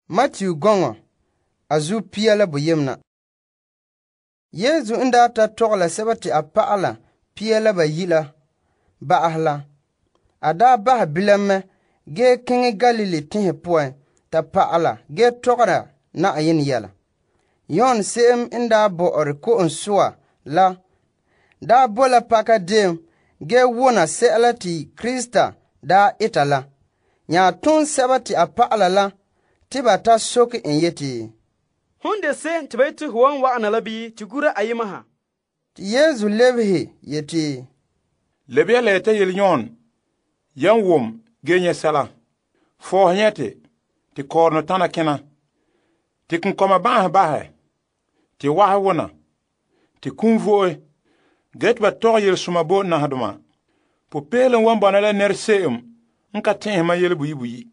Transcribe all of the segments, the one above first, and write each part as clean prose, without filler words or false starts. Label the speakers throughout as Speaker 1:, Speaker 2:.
Speaker 1: Matthew gɔŋɔ a zu 29. Yesu n daa ta tɔgɛ la sɛba te a pa'ala 12 la ba'ahɛ la, a daa bahɛ bilam mɛ ge keŋɛ Galilee teŋhe poan ta pa'ala ge tɔgɔra Na'ayenɛ yɛla. Yon se'em n daa bɔ'ɔre ko'om soa la daa bo la pakadeen ge wona sɛla te Krista daa eta la, nya tom sɛba te a pa'ala la te ba ta soke en yeti,
Speaker 2: Hon de se'em te ba yete ho wan wa'ana la bii te gura ayema ha?
Speaker 1: Te Yesu lebehe yeti,
Speaker 3: Lebe ya la ya ta yele Yon yan wom ge nyɛ sɛla. Fɔɔse nyɛte te kɔɔrɔnɔ tana kena, te konkɔma ba'ahɛ bahɛ, te wahɛ wona, te kum vo'e, ge te ba tɔgɛ yelesoma bo nahadoma. Popeelom wan bɔna la nɛra se'em n ka tɛn'ɛhe mam yele buyi buyi.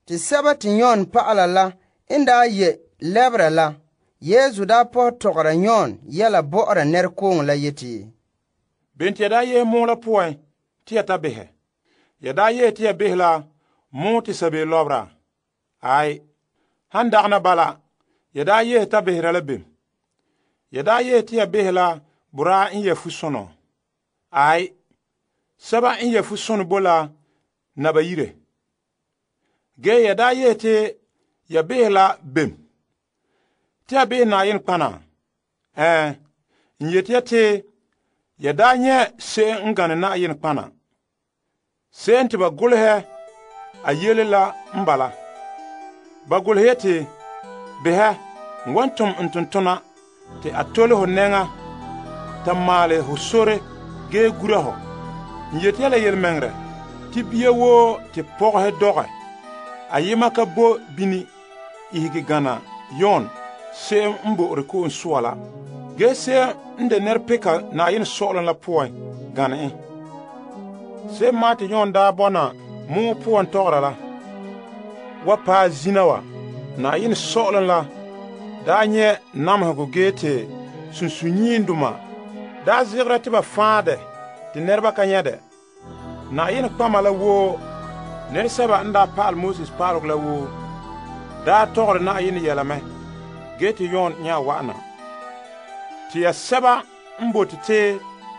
Speaker 1: Te sɛba te Yon pa'ala la n daa ye lɛbera la, Yesu daa pɔhɛ tɔgɔra Yon yɛla bɔ'ɔra nɛrekooŋɔ la yeti,
Speaker 3: Bene te ya daa yehe moɔ la poan te ya ta behɛ? Ya daa yehe te ya behɛ la moɔ te sabeeo lɔbera? Ai, han dagana bala, ya daa yehe ta behera la bem? Ya daa yehe te ya behɛ la boraa n yɛ fusonɔ? Ai, sɛba n yɛ fusonɔ bo la naba yire. Ge ya daa yehe te ya behɛ la bem? Te ya behɛ Na'ayenɛ kpana? N yeti ya te ya daa nyɛ se'em n gane Na'ayenɛ kpana. Se'em te ba golehɛ a yele la n bala. Ba golehɛ yeti, behɛ, n wan tom n tontona te a tole ho nɛŋa ta maale ho sore ge gura ho. N yeti ya la yelemɛŋɛrɛ te bia woo te pɔgɔhe dɔgɛ, ayema ka bo bini ihege gana Yon se'em n bo'ore ko'om soa la. Ge se'em n de nɛrepeka Na'ayenɛ sɔ'ɔlom la poan gane en. Se'em maa te Yon daa bɔna moɔ poan tɔgɔra la wa paɛ zina wa, Na'ayenɛ sɔ'ɔlom la daa nyɛ namehegɔ ge te sunsunyiindoma daa zegera te ba fãa dɛ te nɛreba ka nyɛ dɛ. Na'ayenɛ kpama la woo, nɛresɛba n daa pa'ale Moses pa'alegɔ la woo, daa tɔgɔre Na'ayenɛ yɛla mɛ, ge te Yon nya wa'ana. Te ya sɛba n bote te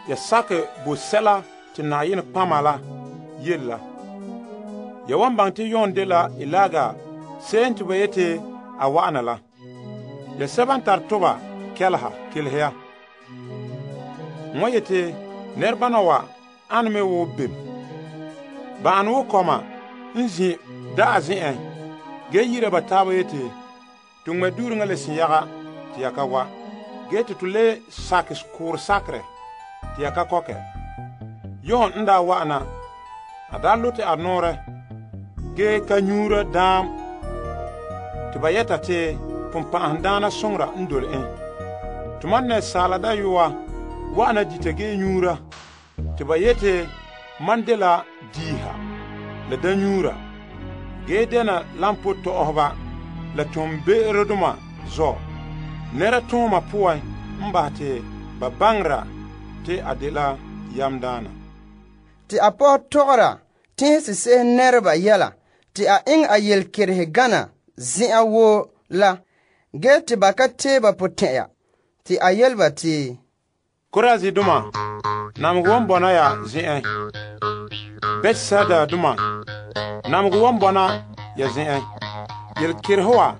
Speaker 3: ya sakɛ bo sɛla te Na'ayenɛ kpama la yele la. Ya wan baŋɛ te Yon de la Eliya se'em te ba yete a wa'ana la. Ya sɛba n tare toba kɛleha kelehe ya. N wan yete nɛrebana wa ane me wo bem. Ba ane wo kɔma n zi da'a zen'en ge yira ba taaba yete, to ŋmɛ duureŋa la sinyaga te ya ka wa, ge te to le sakɛ koore sakerɛ te ya ka kɔkɛ. Yon n daa wa'ana, a daa lote a noorɛ ge ka nyuura daam te ba yɛta te pumpa'ahendaana soŋora n dole en. Tuma Asaala Dayɔa wa'ana dita ge nyuura te ba yete man de la diiha la danyuura ge dena lampo tɔ'ɔheba la tombe'erodoma zɔ nɛra tooma poan n bahɛ te ba baŋera te a de la yamdaana.
Speaker 1: Te a pɔhɛ tɔgɔra tẽhe sesehe nɛreba yɛla te a eŋɛ a yelekerehe gana zen'an woo la, ge te ba ka tee ba potɛn'ya. Te a yele ba te,
Speaker 3: Korazidoma, namegɔ wan bɔna ya zen'en. Betsaida-doma, namegɔ wan bɔna ya zen'en. Yelekerehe wa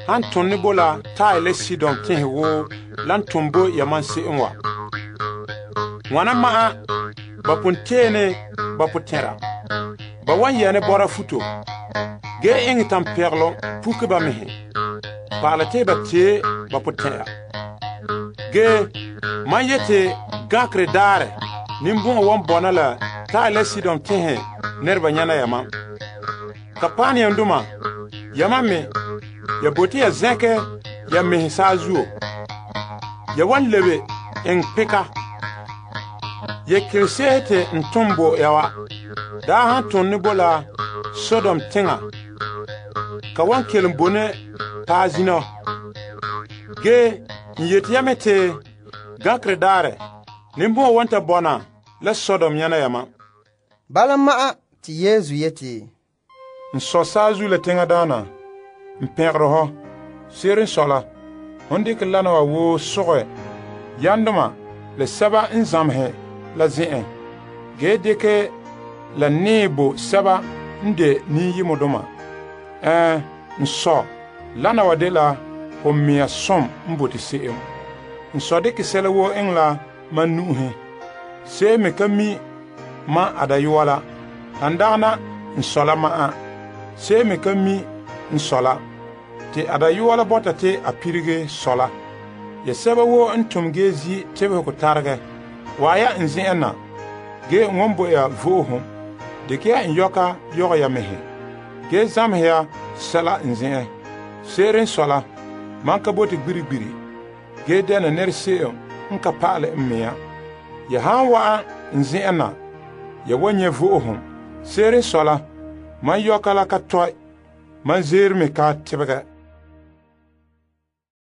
Speaker 3: han tone bo la Tae la Sidon tẽhe woo lan tom bo yaman se'em wa. Ŋwana ma'a ba pon teene ba potɛra. Ba wan yɛne bɔra futo, ge eŋɛ tampɛgelom puke ba mehe, pa'ala te ba tee ba potɛra. Ge, man yete gãkere daarɛ nimbõ'ɔ wan bɔna la Tae la Sidon tẽhe nɛreba nyɛna yamam. Kapaneam-doma, yamam me, ya bote ya zẽkɛ ya mehe saazuo. Ya wan lebe eŋ peka. Ya kelesehe te n tom bo ya wa, daa han tonne bo la Sodom teŋa, ka wan kelum bone paa zina. Ge, n yeti ya me te gãkere daarɛ nimbõ'ɔ wan ta bɔna la Sodom nyɛna yamam.
Speaker 1: Bala ma'a te Yesu yeti,
Speaker 3: N sɔ saazu la teŋa daana, n pɛgere hɔ. Se'ere n sɔe la, hon dekɛ wana wa woo sogɛ yandoma la sɛba n zamehɛ la zen'en, ge dekɛ la nee bo sɛba n de niyemodoma. N sɔ, lana wa dela ho mea som n bote se'em. N sɔ dekɛ sɛla woo eŋɛ la mam nu'uhen. Se'em me ka mi mam a dayɔa la. Han dagana n sɔ la ma'an, se'em me ka mi n sɔ la. Te a dayɔa la bɔta te a pirige sɔ la. Ya sɛba woo n tom ge zi tebehegɔ taregɛ, waa ya n zen'en na, ge n wan bo ya vo'ohom. Dekɛ ya n yɔka yɔgɛ ya mehɛ, ge zamehɛ ya sɛla n zen'en. Se'ere n sɔe la, mam ka bote gbirigbiri, ge dɛna nɛra se'em n ka pa'alɛ n mea. Ya han wa'an n zen'en na, ya wan nyɛ vo'ohom. Se'ere n sɔe la, mam yɔka la ka tɔe, mam zeere me ka tebegɛ.